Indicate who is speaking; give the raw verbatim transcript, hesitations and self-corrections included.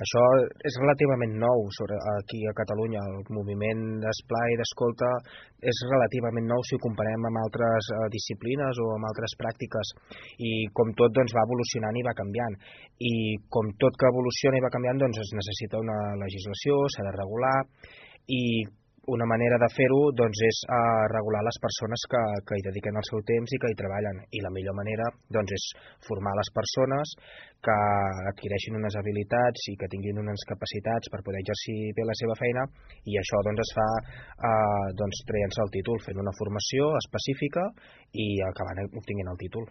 Speaker 1: Això és relativament nou sobre aquí a Catalunya. El moviment d'esplai i d'escolta és relativament nou si ho comparem amb altres eh, disciplines o amb altres pràctiques, i com tot doncs, va evolucionant i va canviant, i com tot que evoluciona i va canviant doncs, es necessita una legislació, s'ha de regular, i una manera de fer-ho doncs, és eh, regular les persones que, que hi dediquen el seu temps i que hi treballen, i la millor manera doncs, és formar les persones que adquireixin unes habilitats i que tinguin unes capacitats per poder exercir bé la seva feina, i això doncs, es fa eh, doncs, traient-se el títol, fent una formació específica i acabant obtinguent el títol.